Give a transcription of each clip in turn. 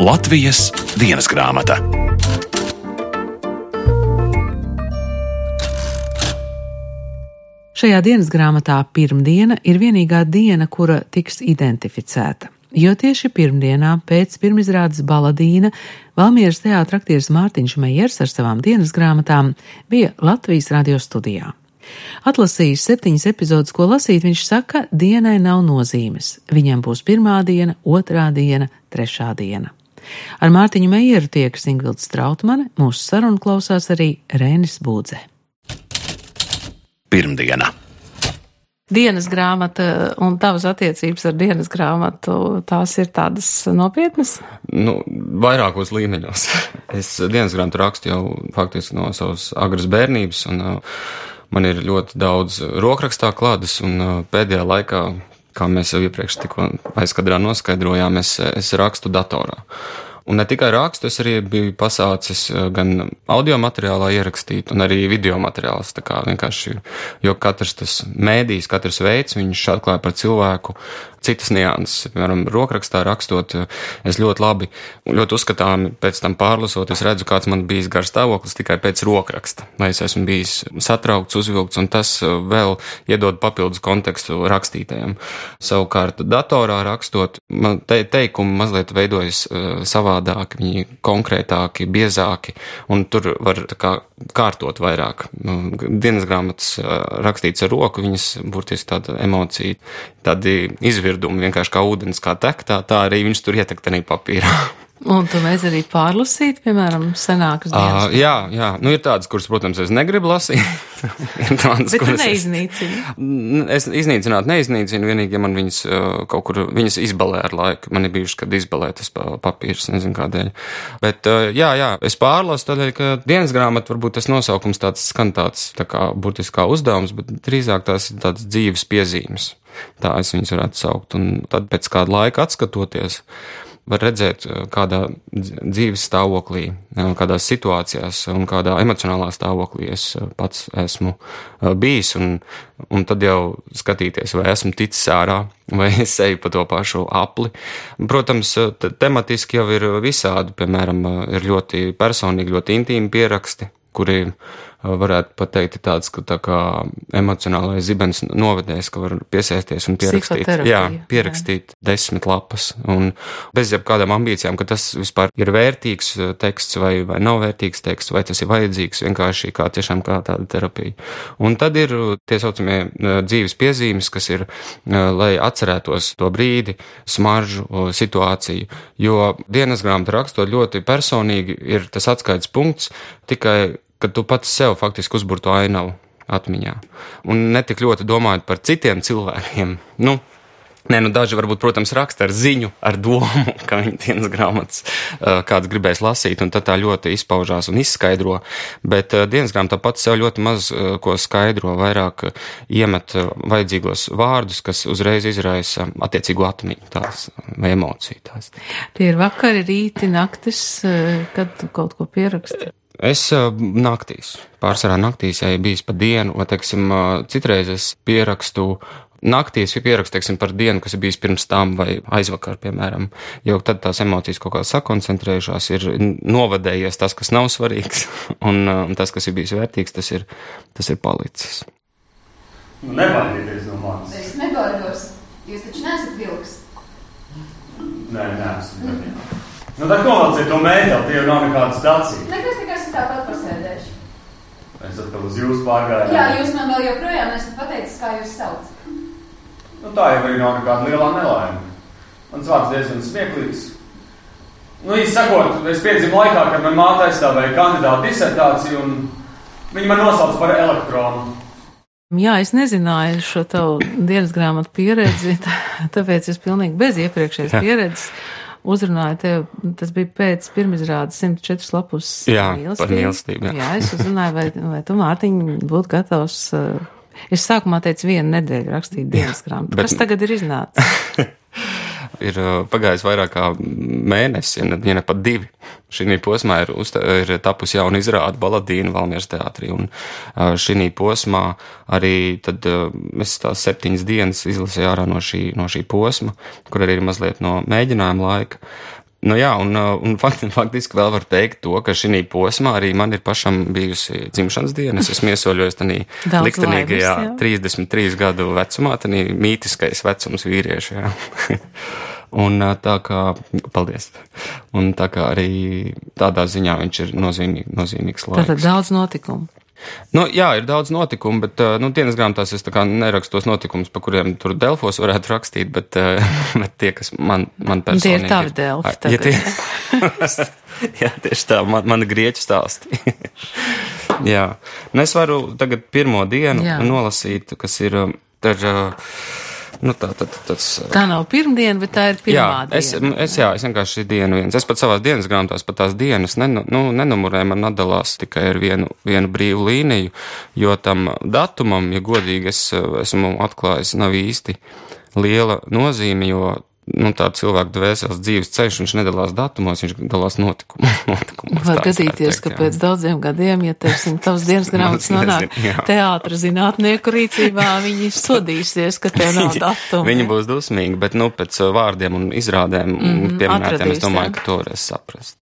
Latvijas dienas grāmata. Šajā dienas grāmatā pirmdiena ir vienīgā diena, kura tiks identificēta. Jo tieši pirmdienā pēc pirmizrādes Baladīna Valmieras teātra aktieris Mārtiņš Mejers ar savām dienas grāmatām bija Latvijas radio studijā. Atlasījis 7 epizodes, ko lasīt, viņš saka, dienai nav nozīmes. Viņam būs pirmā diena, otrā diena, trešā diena. Ar Mārtiņu Mejeru tiekas Ingvilda Strautmane, mūsu sarunu klausās arī Reinis Būdze. Pirmdiena. Dienas grāmata un tavas attiecības ar dienas grāmatu, tās ir tādas nopietnas? Vairākos līmeņos. Es dienas grāmatu rakstu jau faktiski no savas agras bērnības, un man ir ļoti daudz rokrakstā klādes, un pēdējā laikā, kā mēs jau iepriekš tikko aizkadrā noskaidrojām, es rakstu datorā. Un ne tikai rakstu, es arī biju pasācis gan audio materiālā ierakstīt, un arī video materiāls, tā kā vienkārši, jo katrs tas mēdījis, katrs veids, viņš atklāja par cilvēku citas nianses. Piemēram, rokrakstā rakstot, es ļoti labi, ļoti uzskatāmi pēc tam pārlasot, es redzu, kāds man bijis garš stāvoklis tikai pēc rokraksta, vai es esmu bijis satraukts, uzvilkts, un tas vēl iedod papildus kontekstu rakstītājiem. Savukārt, datorā rakstot, man teikumi mazliet veidojas savādāk, viņi konkrētāki, biezāki, un tur var tā kā kārtot vairāk. Dienas grāmatas rakstīts ar roku, viņas burtiski tāda emocija, tādi izvirdumi, vienkārši kā ūdens, kā tek, tā arī viņš tur ietek tenī papīrā. Un tu mēs arī pārlasīt, piemēram, senākas dienas? Jā. Ir tādas, kuras, protams, es negribu lasīt. Bet tu neiznīcini? Es iznīcināt neiznīcinu, vienīgi, ja man viņas kaut kur, viņas izbalē ar laiku. Man ir bijuši, kad izbalē tas papīrs, nezinu kādēļ. Bet, jā, es pārlasu tādēļ, ka dienas grāmata, varbūt tas nosaukums tāds skan tāds, tā kā burtiski kā uzdevums, bet drīzāk tās ir tādas dzīves piezīmes. Tā es viņas varētu saukt. Un tad pēc kāda laika atskatoties, var redzēt, kādā dzīves stāvoklī, kādās situācijās un kādā emocionālā stāvoklī es pats esmu bijis, un tad jau skatīties, vai esmu ticis ārā, vai es eju pa to pašu apli. Protams, tematiski jau ir visādi, piemēram, ir ļoti personīgi, ļoti intīmi pieraksti, kuri varētu pateikt tāds, ka tā kā emocionālais zibens novedēs, ka var piesēsties un pierakstīt. Jā, pierakstīt 10 lapas. Un bez jebkādām ambīcijām, ka tas vispār ir vērtīgs teksts vai nav vērtīgs teksts, vai tas ir vajadzīgs vienkārši tiešām kā tāda terapija. Un tad ir tie saucamie dzīves piezīmes, kas ir, lai atcerētos to brīdi, smaržu, situāciju. Jo dienas grāmatu rakstot ļoti personīgi ir tas atskaites punkts, tikai kad tu pats sev faktiski uzburto ainavu atmiņā. Un netik ļoti domājot par citiem cilvēkiem. Daži varbūt, protams, raksta ar ziņu, ar domu, ka viņi dienas grāmatas kāds gribēs lasīt, un tad tā ļoti izpaužās un izskaidro. Bet dienas grāmatā pats sev ļoti maz ko skaidro, vairāk iemet vajadzīgos vārdus, kas uzreiz izraisa attiecīgu atmiņu tās vai emociju tās. Tie ir vakari, rīti, naktis, kad tu kaut ko pieraksti? Es naktīs, pārsvarā naktīs, ja bijis pa dienu, vai, teiksim, citreiz es pierakstu naktīs, teiksim, par dienu, kas ir bijis pirms tam vai aizvakar, piemēram, jo tad tās emocijas kaut kā sakoncentrējušās, ir novadējies tas, kas nav svarīgs, un tas, kas ir bijis vērtīgs, tas ir palicis. Nebaidieties no manis. Es nebaidos, jūs taču neesat vilks. Nē, neesmu. Tad novalciet to mēteli, tie jau nav nekāda stācija. Nekas tikai es tāpat pasēdēšu. Es atkal uz jūs pārgāju. Jā, jūs man vēl joprojām nesat pateicis, kā jūs sauc. Tā jau arī nav nekāda lielā nelaime. Mans vārds diezgan smieklīgs. Īsti sakot, es piedzimu laikā, kad man māte aizstāvēja kandidātu disertāciju, un viņi man nosauca par elektronu. Jā, es nezināju šo tavu dienas grāmatu pieredzi, tāpēc es pilnīgi bez iepriekšējas pieredzes uzrunāju tev, tas bija pēc pirmizrādes 104 lapus par mīlestību. Jā, es uzrunāju, vai tu, Mārtiņ, būtu gatavs, es sākumā teicu 1 nedēļu rakstīt dienas grāmatu. Kas tagad ir iznācis? Ir pagājis vairāk kā mēnesis, ja ne pat 2. Šī posmā ir tapusi jauna izrāde Baladīna Valmieras teātrī, un šī posmā arī tad es tās 7 dienas izlasīju ārā no šī posma, kur arī ir mazliet no mēģinājuma laika. Nu jā, un faktiski vēl var teikt to, ka šī posmā arī man ir pašam bijusi dzimšanas diena. Es esmu iesoļojis tādā liktenīgajā 33 gadu vecumā, tādā mītiskais vecums vīriešu, jā. Un tā kā, paldies, un tā kā arī tādā ziņā viņš ir nozīmīgs laiks. Tātad daudz notikumu. Nu, jā, ir daudz notikumu, bet, dienas grāmatās es tā kā nerakstu tos notikumus, pa kuriem tur Delfos varētu rakstīt, bet tie, kas man personīgi... Tie ir tavi Delfi. Jā, tieši tā, man grieķu stāsti. Jā, un es varu tagad pirmo dienu nolasīt, kas ir, tā nav pirmdiena, bet tā ir pirmā diena. Es vienkārši dienu viens. Es pat savās dienas grāmatās pat tās dienas nenumurēju, man atdalās tikai ar vienu brīvu līniju, jo tam datumam, ja godīgi es esmu atklājis, nav īsti liela nozīme, jo tā cilvēka dvēseles dzīves ceļš, viņš nedalās datumos, viņš dalās notikumos. Var gadīties, ka pēc daudziem gadiem, ja tavs dienas grāmatas nonāk teātra zinātnieku rīcībā, viņi sodīsies, ka tev nav datumu. Viņi būs dusmīgi, bet pēc vārdiem un izrādēm pieminētiem, es domāju, ka to varēs saprast.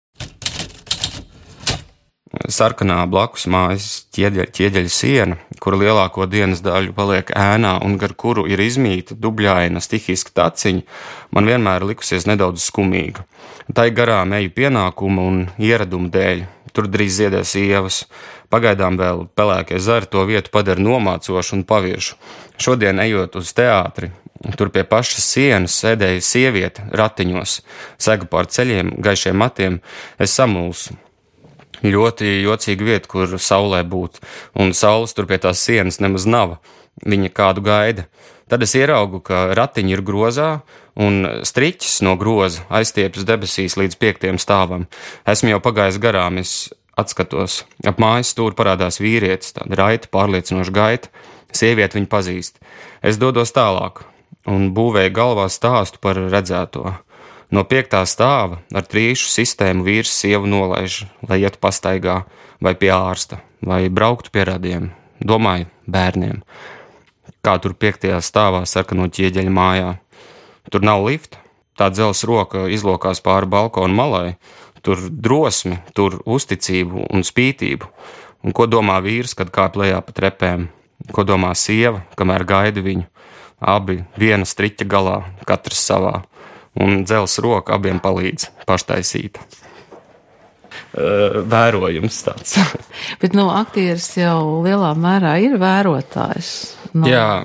Sarkanā blakus mājas ķieģeļa siena, kura lielāko dienas daļu paliek ēnā un gar kuru ir izmīta dubļaina stihiska taciņa, man vienmēr likusies nedaudz skumīga. Tai garām eju pienākuma un ieradumu dēļ. Tur drīz ziedēs ievas. Pagaidām vēl pelēkie zari to vietu padara nomācošu un paviešu. Šodien ejot uz teātri, tur pie pašas sienas sēdēja sieviete ratiņos, sega pār ceļiem, gaišiem matiem, es samulsu. Ļoti jocīga vieta, kur saulē būt, un saules tur pie tās sienas nemaz nav. Viņa kādu gaida. Tad es ieraugu, ka ratiņi ir grozā, un striķis no groza aizstiepjas debesīs līdz 5. stāvam. Esmu jau pagājis garām, es atskatos. Ap mājas stūri parādās vīrietis, tāda raita, pārliecinoša gaita. Sieviete viņu pazīst. Es dodos tālāk, un būvēju galvā stāstu par redzēto. No 5. stāva ar trīšu sistēmu vīrs sievu nolaiž, lai ietu pastaigā, vai pie ārsta, vai brauktu pie radiem, domāju, bērniem. Kā tur 5. stāvā sarkano ķieģeļa mājā. Tur nav lifta, tā dzelzs roka izlokās pāri balkonu malai, tur drosmi, tur uzticību un spītību. Un ko domā vīrs, kad kāp lejā pa trepēm? Ko domā sieva, kamēr gaida viņu? Abi viena striķa galā, katrs savā. Un dzelzs roka abiem palīdz paštaisīta. Vērojums tāds. Bet, aktieris jau lielā mērā ir vērotājs. Jā,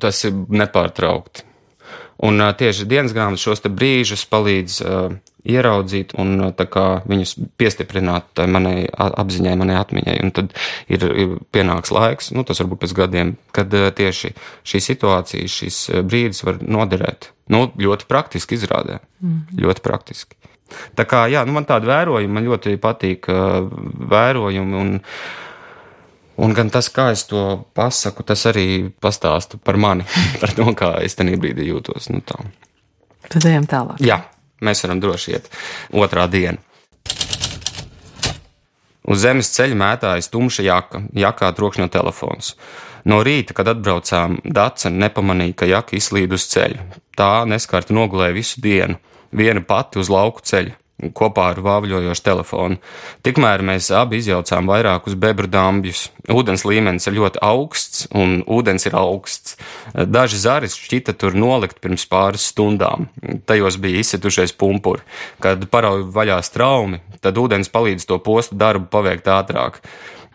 tas ir nepārtraukti. Un tieši dienas grāmatas šos te brīžus palīdz ieraudzīt un tā kā viņus piestiprināt manai apziņai, manai atmiņai. Un tad ir pienāks laiks, tas varbūt pēc gadiem, kad tieši šī situācija, šis brīdis var noderēt. Ļoti praktiski izrādē. Ļoti praktiski. Tā kā, man tādi vērojumi, man ļoti patīk vērojumi un gan tas, kā es to pasaku, tas arī pastāsta par mani, par to, kā es tenī brīdī jūtos. Tā. Tad ejam tālāk. Jā, mēs varam droši iet. 2. diena. Uz zemes ceļa mētājas tumša jakā trokšņo telefons. No rīta, kad atbraucām, Dace nepamanīja, ka jaka izslīd uz ceļa. Tā neskarti nogulēja visu dienu, viena pati uz lauku ceļa, kopā ar vāvļojošu telefonu. Tikmēr mēs abi izjaucām vairākus bebru dambjus. Ūdens līmenis ir ļoti augsts, un ūdens ir augsts. Daži zari šķita tur nolikt pirms pāris stundām. Tajos bija izsitušies pumpuri. Kad parauj vaļā straumi, tad ūdens palīdz to postu darbu paveikt ātrāk.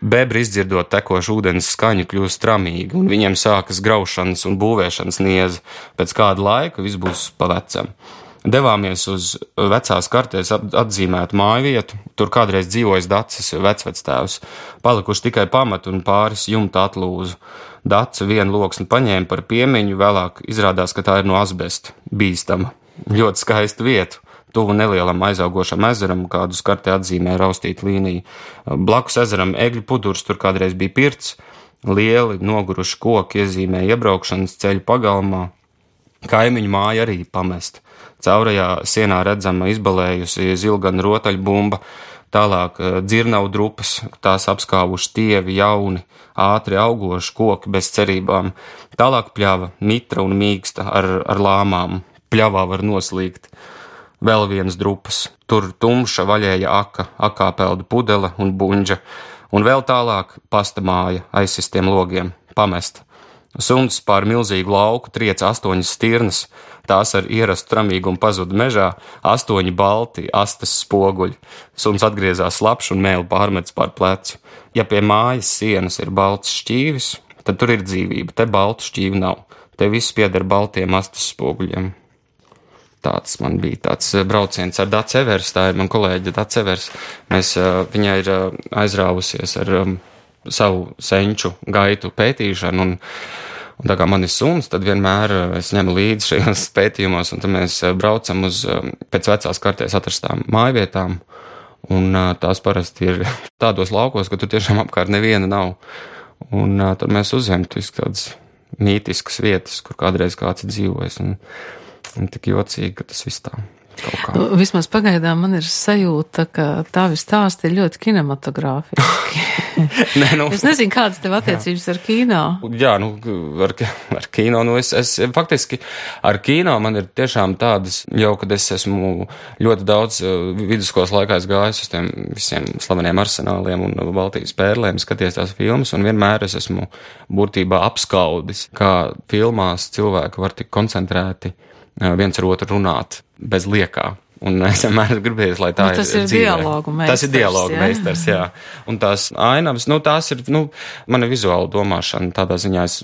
Bebri izdzirdot tekošu ūdens skaņu kļūst tramīgi, un viņiem sākas graušanas un būvēšanas nieze. Pēc kāda laika viss būs pa vecam. Devāmies uz vecās kartēs atzīmētu māju vietu, tur kādreiz dzīvojis Daces vecvectēvs. Palikuši tikai pamat un pāris jumta atlūzu. Dace vienu loksni paņēma par piemiņu, vēlāk izrādās, ka tā ir no asbesta, bīstama. Ļoti skaista vieta. Tuvu nelielam aizaugošam ezeram, kādu kartē atzīmē raustīta līnija. Blakus ezeram egļu pudurs, tur kādreiz bija pirts, lieli noguruši koki iezīmē iebraukšanas ceļu pagalmā. Kaimiņu māja arī pamesta. Caurajā sienā redzama izbalējusi zilgana rotaļbumba, tālāk dzirnavu drupas, tās apskāvuši tievi, jauni, ātri augoši koki bez cerībām. Tālāk pļava, mitra un mīksta ar lāmām. Pļavā var noslīgt. vēl viens drupas, tur tumša vaļēja akā pelda pudele un buņģa, un vēl tālāk pasta māja aizsistiem logiem, pamesta. Suns pār milzīgu lauku triec 8 stirnas, tās ar ierastu tramīgumu pazuda mežā, 8 balti astes spoguļi. Suns atgriezās slapš un mēli pārmets pār plecu. Ja pie mājas sienas ir balts šķīvis, tad tur ir dzīvība, te baltu šķīvi nav. Te viss pieder baltiem astes spoguļiem. Tāds man bija tāds brauciens ar Dace Evers, tā ir man kolēģe Dace Evers. Viņa ir aizrāvusies ar savu senču gaitu pētīšanu, un tā kā man ir suns, tad vienmēr es ņemu līdzi šajos pētījumos, un tad mēs braucam uz pēc vecās kartēs atrastām mājvietām, un tās parasti ir tādos laukos, ka tur tiešām apkārt neviena nav, un tad mēs uzņemam tādas mītiskas vietas, kur kādreiz kāds ir dzīvojis, un tik jocīgi, ka tas viss tā. Vismaz pagaidām man ir sajūta, ka tavi stāsti ir ļoti kinematogrāfiski. Es nezinu, kādas tev attiecības ar kino. Jā, ar kino, es faktiski ar kino man ir tiešām tādas, jau kad es esmu ļoti daudz vidusskolas laikā gājis uz tiem visiem slaveniem arsenāliem un Baltijas pērlēm, skaties tās filmas, un vienmēr es esmu būtībā apskaudis, kā filmās cilvēki var tik koncentrēti viens ar otru runāt bez liekā. Un es vienmēr gribēju, lai tā ir dzīvē. Tas ir dialogu meistars, jā. Un tās ainavas, tās ir, mana vizuāla domāšana, tādā ziņā es,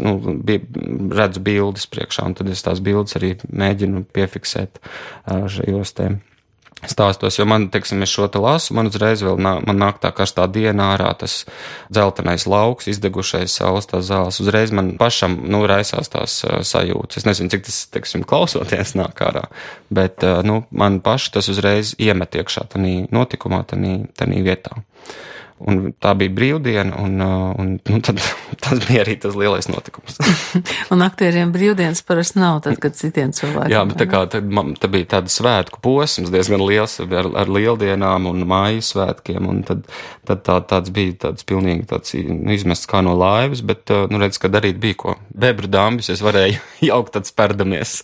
redzu bildes priekšā, un tad es tās bildes arī mēģinu piefiksēt šajos te stāstos, jo man, teiksim, es šo te lasu, man uzreiz vēl man nāk tā karstā diena ārā, tas dzeltenais lauks, izdegušais saules, tās zāles, uzreiz man pašam, raisās tās sajūtas. Es nezinu, cik tas, teiksim, klausoties nāk ārā, bet, man paši tas uzreiz iemet iekšā tanī notikumā, tanī vietā. Un tā bija brīvdiena, un tad tas bija arī tas lielais notikums. Un aktieriem brīvdienas parasti nav tad, kad citiem cilvēkiem. Jā, bet tā bija tāda svētku posms, diezgan liels ar lieldienām un māju svētkiem, un tad tāds bija tāds pilnīgi tāds izmests kā no laivas, bet, redz, ka darīt bija ko. Bebru dambis es varēju jaukt tad sperdamies.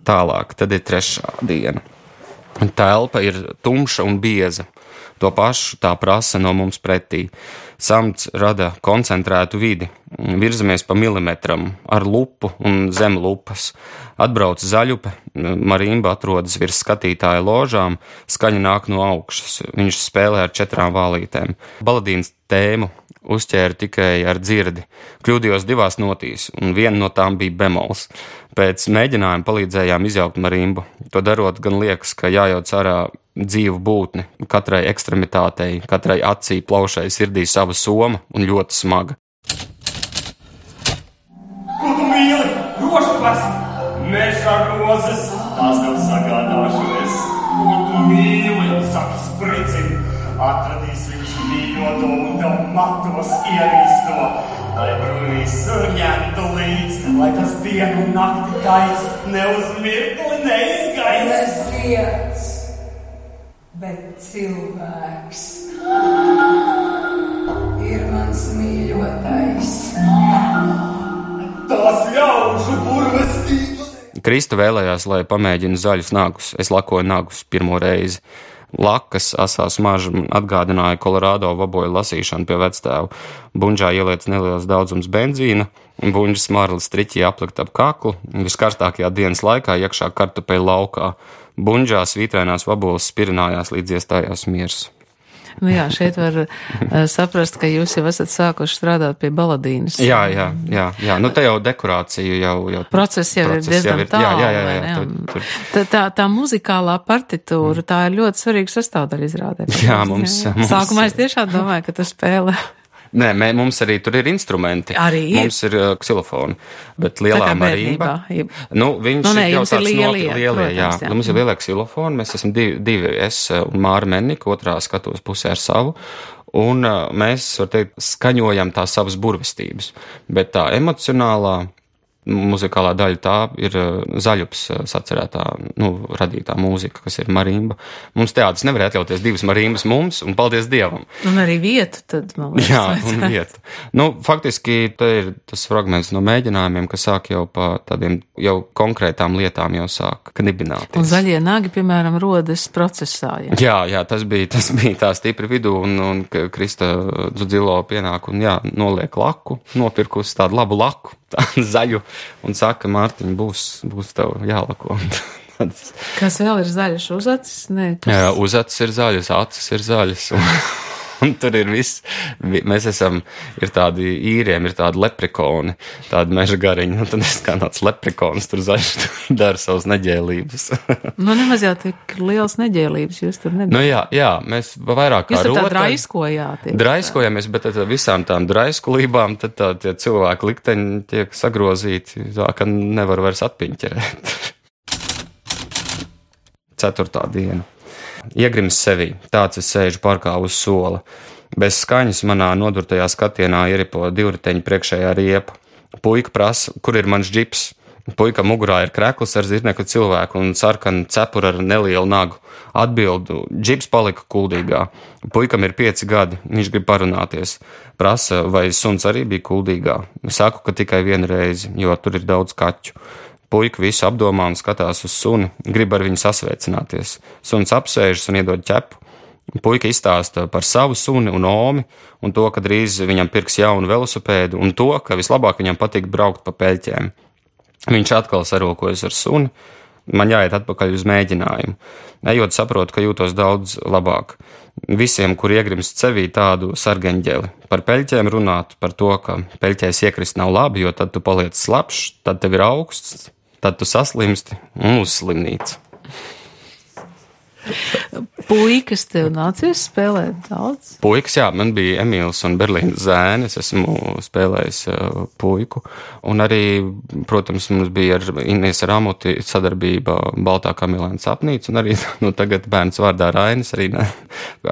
Tālāk, tad ir 3. diena. Telpa ir tumša un bieza. To pašu tā prasa no mums pretī. Samts rada koncentrētu vidi. Virzamies pa milimetram ar lupu un zem lupas. Atbrauc zaļupe, marimba atrodas virs skatītāja ložām, skaņa nāk no augšas. Viņš spēlē ar 4 vālītēm. Baladīnas tēmu uzķēra tikai ar dzirdi. Kļūdījos 2 notīs, un viena no tām bija bemols. Pēc mēģinājuma palīdzējām izjaukt marimbu. To darot gan liekas, ka jājauc ārā dzīvu būtni, katrai ekstremitātei, katrai acī, plaušai, sirdī sava soma un ļoti smaga. Ko tu mīli? Rožklas! Mežā rozes! Tās tev sagādāšos. Ko tu mīli? Saki spricini. Atradīs viņš mīļoto un tev matos ierīsto. Lai brūnīs surņemtu līdz, lai tas dienu un nakti gais ne uz mirkli neizgais. Neziets, bet cilvēks ir mans mīļotais. Tās ļaužu burvestības. Krista vēlējās, lai pamēģina zaļus nagus. Es lakoju nagus pirmo reizi. Lakas asā smarža atgādināja Kolorādo vaboju lasīšanu pie vectēva. Buņģā ieliec neliels daudzums benzīna, buņģa smarli striķī aplikt ap kaklu, viskarstākajā dienas laikā iekšā kartupeļu laukā. Buņģā svītrainās vaboles spirinājās, līdz iestājās miers. Jā, šeit var saprast, ka jūs jau esat sākuši strādāt pie baladīnas. Jā. Te jau dekorācija jau process jau ir diezgan tālu. Tā muzikālā partitūra, tā ir ļoti svarīga sastāvdaļa izrādē. Jā, mums. Sākumā es tiešām domāju, ka tu spēlē. Nē, mums arī tur ir instrumenti. Mums ir ksilofoni, bet lielā marimba. Viņš ir jau tāds lielie, jā. Mums ir lielie ksilofoni, mēs esam divi, es un Māra Mennika, otrā skatuves pusē ar savu, un mēs, var teikt, skaņojam tās savas burvestības, bet tā emocionālā muzikālā daļa tā ir Zaļups sacerētā, radītā mūzika, kas ir marimba. Mums teātris nevar atļauties 2 marimbas mums, un paldies Dievam. Un arī vietu tad, man liekas. Jā, un vietu. Faktiski te ir tas fragments no mēģinājumiem, kas sāk jau pa tādiem jau konkrētām lietām jau sāk knibināties. Un zaļie nagi, piemēram, rodas procesā. Jā, tas bija tā stipri vidū, un Krista Dzudzilo pienāk un noliek laku, nopirkusi tādu labu laku, tādu zaļu, un saka, Mārtiņ, būs tev jālako. Kas vēl ir zaļš? Uzacis? Jā, uzacis ir zaļas, acis ir zaļas, un tur ir viss. Mēs ir tādi īriem, ir tādi leprikoni, tādi meža gariņi, un tad es kā tāds leprikons tur zaļš dara savas neģēlības. Nemaz jau tik liels neģēlības jūs tur nedarāt. Jā, mēs vairāk kā jūs tur tā draiskojāt. Draiskojamies, bet tad visām tām draiskulībām tad tie cilvēki likteņi tiek sagrozīti, tā ka nevar vairs atpiņķerēt. 4. diena. Iegrims sevī, tāds es sēžu parkā uz sola. Bez skaņas manā nodurtajā skatienā ieripo divriteņa priekšējā riepa. Puika prasa, kur ir mans džips. Puika mugurā ir krekls ar zirneku cilvēku un sarkanu cepuru ar nelielu nagu. Atbildu, džips palika kuldīgā. Puikam ir 5 gadi, viņš grib parunāties. Prasa, vai suns arī bija kuldīgā. Saku, ka tikai 1 reizi, jo tur ir daudz kaķu. Puika visu apdomā un skatās uz suni, grib ar viņu sasveicināties. Suns apsēžas un iedod ķepu. Puika izstāsta par savu suni un omi, un to, ka drīz viņam pirks jaunu velosipēdu, un to, ka vislabāk viņam patīk braukt pa peļķēm. Viņš atkal sarokojas ar suni, man jāiet atpakaļ uz mēģinājumu. Ejot saprotu, ka jūtos daudz labāk. Visiem, kur iegrimst sevī tādu sargeņģeli. Par peļķēm runāt, par to, ka peļķēs iekrist nav labi, jo tad tu paliec slapšs, tad tev ir augsts, tad tu saslimsti un uz slimnīcu. Puikas tev nācies spēlēt daudz? Puikas, jā, man bija Emīls un Berlīnas zēni, es esmu spēlējis puiku, un arī, protams, mums bija ar Inês Ramuti sadarbība Baltā kamilēna sapnīca, un arī, tagad bērns vārdā Rainis arī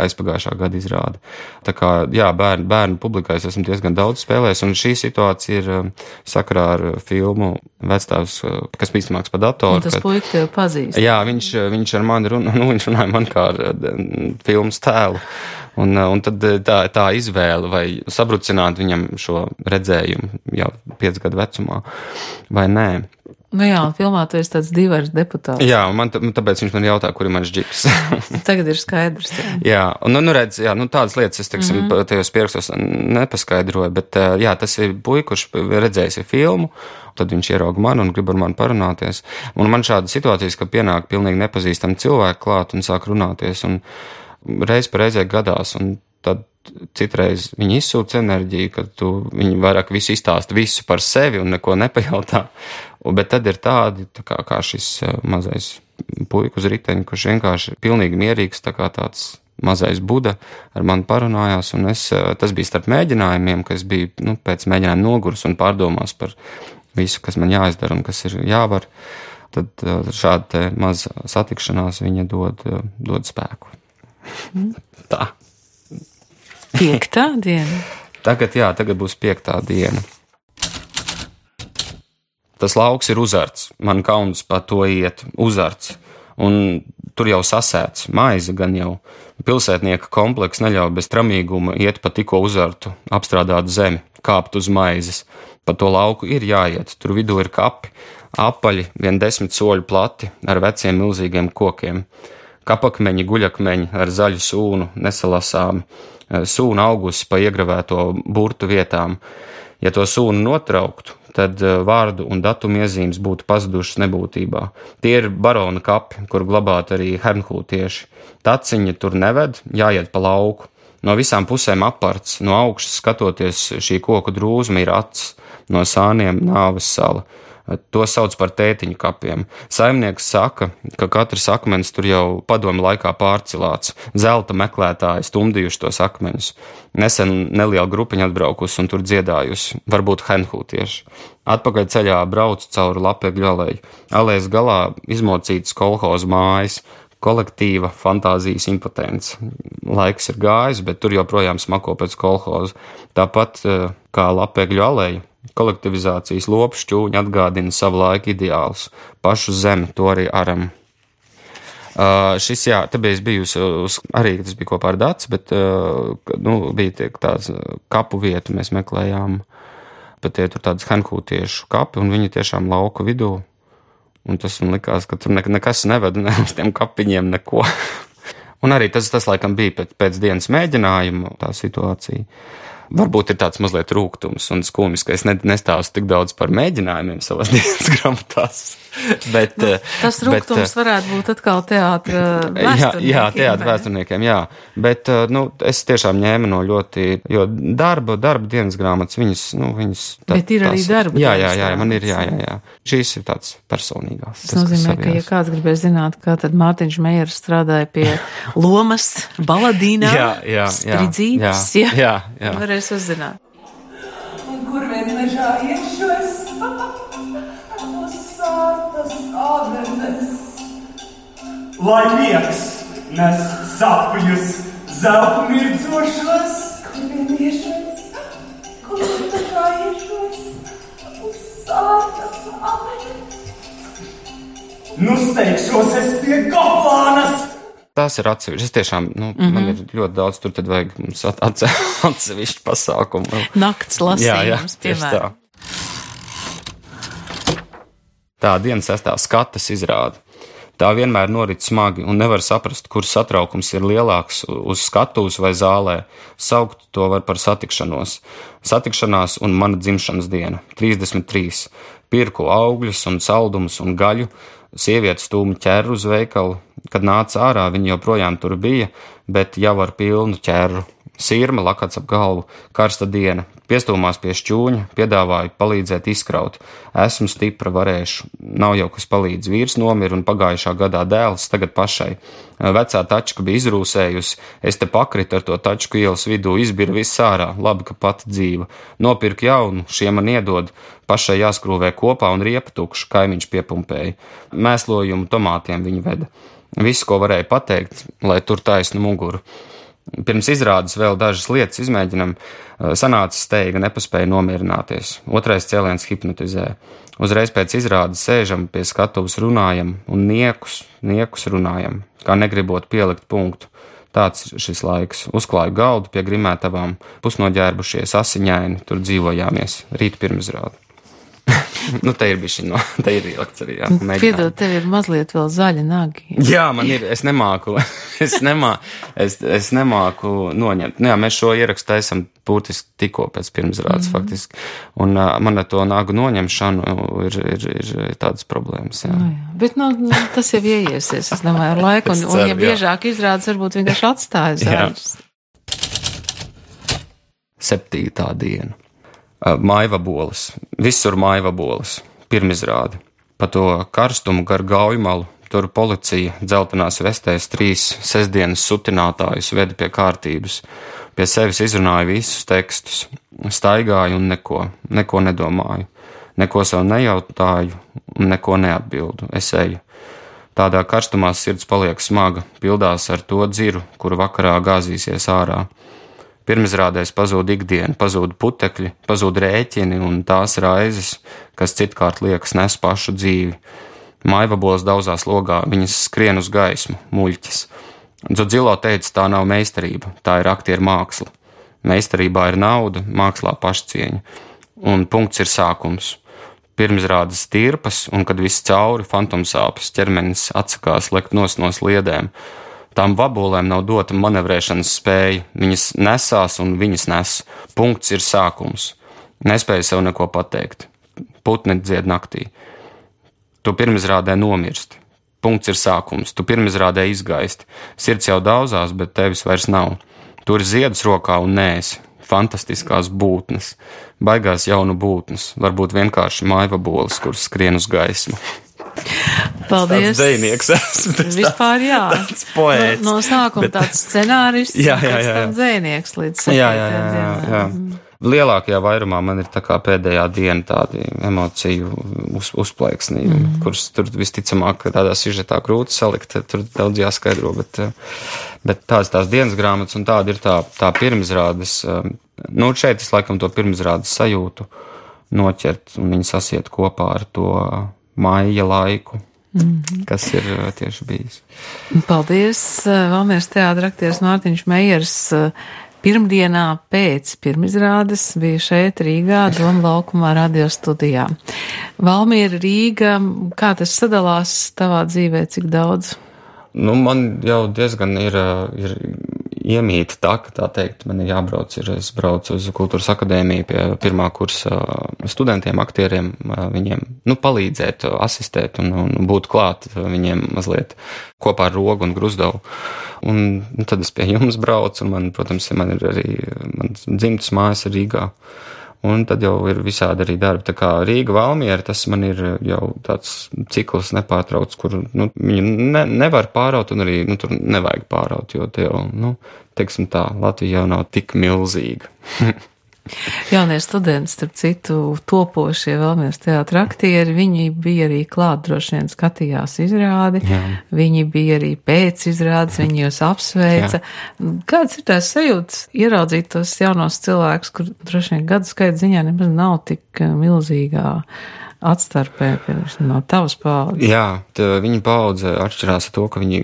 aizpagājušā gada izrāda. Tā kā, jā, bērnu publikā es esmu diezgan daudz spēlējis, un šī situācija ir sakarā ar filmu Vecstāvs, kas bīstamāks pa datoru. Un tas puika tev pazīst. Jā, viņš ar mani viņš runāja man kā ar filmas tēlu. Un tad tā izvēle, vai sabrucināt viņam šo redzējumu jau 5 gadu vecumā, vai nē. Jā, un filmā tu esi tāds divers deputāts. Jā, tāpēc viņš man jautā, kur ir mans džips. Tagad ir skaidrs. Jā, un redz, tādas lietas es, tajos pierakstos nepaskaidroju, bet jā, tas ir puika, kurš redzējis filmu, tad viņš ierauga mani un grib ar mani parunāties. Un man šāda situācijas, ka pienāk pilnīgi nepazīstami cilvēki klāt un sāk runāties, un reiz pa reizē gadās, un tad citreiz viņi izsūta enerģiju, kad viņi vairāk visu izstāsta visu par sevi un neko nepajautā. Bet tad ir tādi, kā šis mazais puika uz riteņa, kurš vienkārši pilnīgi mierīgs, tā kā tāds mazais Buda ar mani parunājās, un tas bija starp mēģinājumiem, ka es biju, pēc mēģinājuma nogurs un pārdomās par visu, kas man jāizdara un kas ir jāvar. Tad šāda te maza satikšanās viņa dod spēku. Tā. 5. diena? Tagad būs 5. diena. Tas lauks ir uzarts, man kauns pa to iet, uzarts, un tur jau sasēts, maize gan jau. Pilsētnieka kompleks neļauj bez tramīguma iet pa tikko uzartu, apstrādāt zemi, kāpt uz maizes. Pa to lauku ir jāiet, tur vidū ir kapi, apaļi, 10 soļu plati, ar veciem milzīgiem kokiem. Kapakmeņi, guļakmeņi ar zaļu sūnu, nesalasāmi, sūna augusi pa iegravēto burtu vietām. Ja to sūnu notrauktu, tad vārdu un datumu iezīmes būtu pazudušas nebūtībā. Tie ir barona kapi, kur glabāt arī hernhūtieši. Taciņi tur neved, jāiet pa lauku. No visām pusēm aparts, no augšas skatoties šī koku drūzma ir acs, no sāniem nāves sala. To sauc par tētiņu kapiem. Saimnieks saka, ka katrs akmens tur jau padomu laikā pārcilāts. Zelta meklētāji stumdījuši tos akmeņus. Nesen neliela grupiņa atbraukusi un tur dziedājusi, varbūt henhūtieši. Atpakaļ ceļā braucu cauri Lapegļu aleju. Alejas galā izmocītas kolhozu mājas, kolektīva fantāzijas impotence. Laiks ir gājis, bet tur joprojām smako pēc kolhozu. Tāpat kā Lapegļu aleja, Kolektivizācijas lopu šķūņi atgādina savu laiku ideālus. Pašu zemi, to arī aram. Šis, jā, te bija bijusi arī, tas bija kopā ar Daci, bet, bija tāds kapu vietu mēs meklējām, bet tie tur tādas henkūtiešu kapi, un viņi tiešām lauka vidū, un tas man likās, ka tur nekas nevada, ne uz tiem kapiņiem neko. Un arī tas laikam bija pēc dienas mēģinājuma tā situācija. Varbūt ir tāds mazliet rūgtums un skumjs, ka es nestāstu tik daudz par mēģinājumiem savās dienas grāmatās. Bet, tas rūgtums varētu būt atkal teātra vēsturniekiem. Jā, teātra vēsturniekiem, jā. Bet, es tiešām ņēmu no ļoti, jo darba dienas grāmatas, viņas. Bet ir arī darba. Jā, man ir, jā. Šīs ir tāds personīgās. Tas nozīmē, ka, ja kāds gribēs zināt, kā tad Mārtiņš Mejers strādāja pie lomas, baladīnā, Stridzītes, jā. Varēs uzzināt. Un kur vien mežā iešos? Sārtas avenes. Lai miegs nes sapļus zeltu mirdzošos. Kur vien iešos? Kur vien mežā iešos? Uz sārtas avenes. Nu steigšos es pie Goplānas. Tās ir atsevišķi. Es tiešām, man ir ļoti daudz, tur tad vajag mums atsevišķi pasākumu. Nakts lasījums, piemēram. Tā dienas 6. skatas izrāda. Tā vienmēr norit smagi un nevar saprast, kur satraukums ir lielāks uz skatuves vai zālē. Saukt to var par satikšanos. Satikšanās un mana dzimšanas diena. 33. Pirku augļus un saldumus un gaļu. Sieviete stūma ķerru uz veikalu. Kad nāca ārā, viņa joprojām tur bija, bet jau ar pilnu ķerru. Sirma lakats ap galvu, karsta diena, piestūmās pie šķūņa, piedāvāju palīdzēt izkraut. Esmu stipra, varēšu. Nav jau kas palīdz. Vīrs nomira un pagājušā gadā dēls, tagad pašai. Vecā tačka bija izrūsējusi, es te pakritu ar to tačku ielas vidū, izbira viss ārā, labi, ka pati dzīva. Nopirku jaunu, šie man iedod, pašai jāskrūvē kopā un riepa tukša, kaimiņš piepumpēja. Mēslojumu tomātiem viņa veda. Visu, ko varēja pateikt, lai tur taisnu muguru. Pirms izrādes vēl dažas lietas izmēģinam, sanāca steiga, nepaspēja nomierināties. Otrais cēliens hipnotizē. Uzreiz pēc izrādes sēžam pie skatuves runājam un niekus runājam, kā negribot pielikt punktu. Tāds šis laiks. Uzklāju galdu pie grimētavām, pusnoģērbušies, asiņaini, tur dzīvojāmies. Rīt pirmizrāde. Te ir bišķi, te ir ielikts arī, jā. Piedod, tev ir mazliet vēl zaļa nagi. Jā, man ir, es nemāku noņemt. Jā, mēs šo ierakstu taisam būtiski tikko pēc pirmizrādes faktiski. Un man ar to nagu noņemšanu ir tādas problēmas, jā. Bet, tas jau ieiesies, es domāju, ar laiku, un ja biežāk izrādes, varbūt vienkārši atstāja zaļus. 7. diena. Maivaboles. Visur maivaboles. Pirmizrāde. Pa to karstumu gar Gaujmalu, tur policija dzeltenās vestēs 3 sestdienas sutinātājus veda pie kārtības. Pie sevis izrunāju visus tekstus. Staigāju un neko nedomāju. Neko sev nejautāju un neko neatbildu. Es eju. Tādā karstumā sirds paliek smaga, pildās ar to dziru, kuru vakarā gāzīsies ārā. Pirmizrādēs pazūd ikdiena, pazūd putekļi, pazūd rēķini un tās raizes, kas citkārt liekas nes pašu dzīvi. Maivaboles daudzās logā, viņas skrien uz gaismu, muļķis. Dzodzilo teica, tā nav meistarība, tā ir aktieru māksla. Meistarībā ir nauda, mākslā pašcieņa. Un punkts ir sākums. Pirmizrādes tirpas, un kad viss cauri, fantomsāpes, ķermenis atsakās lekt no sliedēm. Tām vabolēm nav dota manevrēšanas spēja, viņas nesās un viņas nes. Punkts ir sākums. Nespēju sev neko pateikt. Putni dzied naktī. Tu pirmizrādē nomirsti. Punkts ir sākums. Tu pirmizrādē izgaisti. Sirds jau daudzās, bet tevis vairs nav. Tur ir ziedus rokā un nēsi. Fantastiskās būtnes. Baigās jaunu būtnes. Varbūt vienkārši maivaboles, kuras skrien uz gaismu. Paldies. Tāds dzejnieks esmu. Vispār jā. Tāds poēts. No sākuma tāds scenārists, pēc tam dzejnieks līdz 7. Jā. Lielākajā vairumā man ir tā kā pēdējā diena tādi emociju uzplaiksnī, kurus tur visticamāk tādā sižetā grūti salikt, tur daudz jāskaidro, bet tādas tās dienas grāmatas un tāda ir tā pirmizrādes. Šeit es laikam to pirmizrādes sajūtu. noķert, un viņi sasiet kopā ar to maija laiku, kas ir tieši bijis. Paldies, Valmieras teātra aktieris Mārtiņš Mejers. Pirmdienā pēc pirmizrādes bija šeit Rīgā, Doma laukumā radio studijā. Valmiera, Rīga, kā tas sadalās tavā dzīvē, cik daudz? Nu, man jau diezgan ir iemīta tā teikt, man ir jābrauc, es braucu uz Kultūras akadēmiju pie pirmā kursa studentiem, aktieriem, viņiem, palīdzēt, asistēt un būt klāt viņiem mazliet kopā ar Rogu un Gruzdavu. Un tad es pie jums braucu, un man ir arī, mans dzimtas mājas ir Rīgā. Un tad jau ir visādi arī darbi. Tā kā Rīga, Valmiera, tas man ir jau tāds cikls nepārtrauc, kur, viņu nevar pāraut un arī, tur nevajag pāraut, jo te jau, teiksim tā, Latvija jau nav tik milzīga. Jaunie studenti, starp citu, topošie Valmieras teātra aktieri, viņi bija arī klāt, droši vien skatījās izrādi, viņi bija arī pēc izrādes, viņi jūs apsveica. Jā. Kāds ir tās sajūtas ieraudzīt tos jaunos cilvēkus, kur droši vien gadu skaita ziņā nemaz nav tik milzīgā atstarpē no tavas paaudzes? Jā, viņa paudze atšķirās ar to, ka viņi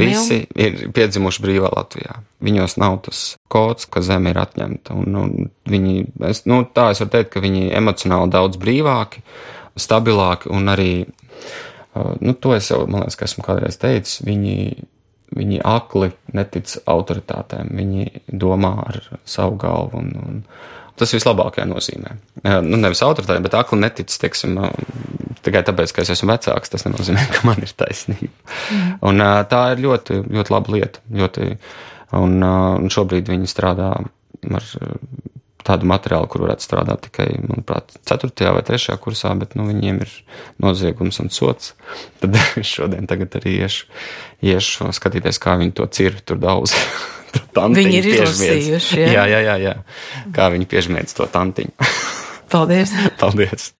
visi ir piedzimuši brīvā Latvijā. Viņos nav tas kods, ka zeme ir atņemta. Un viņi, es varu teikt, ka viņi emocionāli daudz brīvāki, stabilāki un arī, to es jau, man liekas, ka esmu kādreiz teicis, viņi akli netic autoritātēm, viņi domā ar savu galvu un tas vislabākajā nozīmē. Nevis autoritāte, bet akli netic, teiksim, tikai tāpēc, ka es esmu vecāks, tas nenozīmē, ka man ir taisnība. Un tā ir ļoti, ļoti laba lieta. Un šobrīd viņi strādā ar tādu materiālu, kur varētu strādāt tikai, manuprāt, 4. vai 3. kursā, bet viņiem ir noziegums un sots. Tad es tagad arī iešu skatīties, kā viņi to cirvi tur daudz. Viņi ir izlasījuši, jā. Kā viņi piežmiedz to tantiņu. Paldies. Paldies.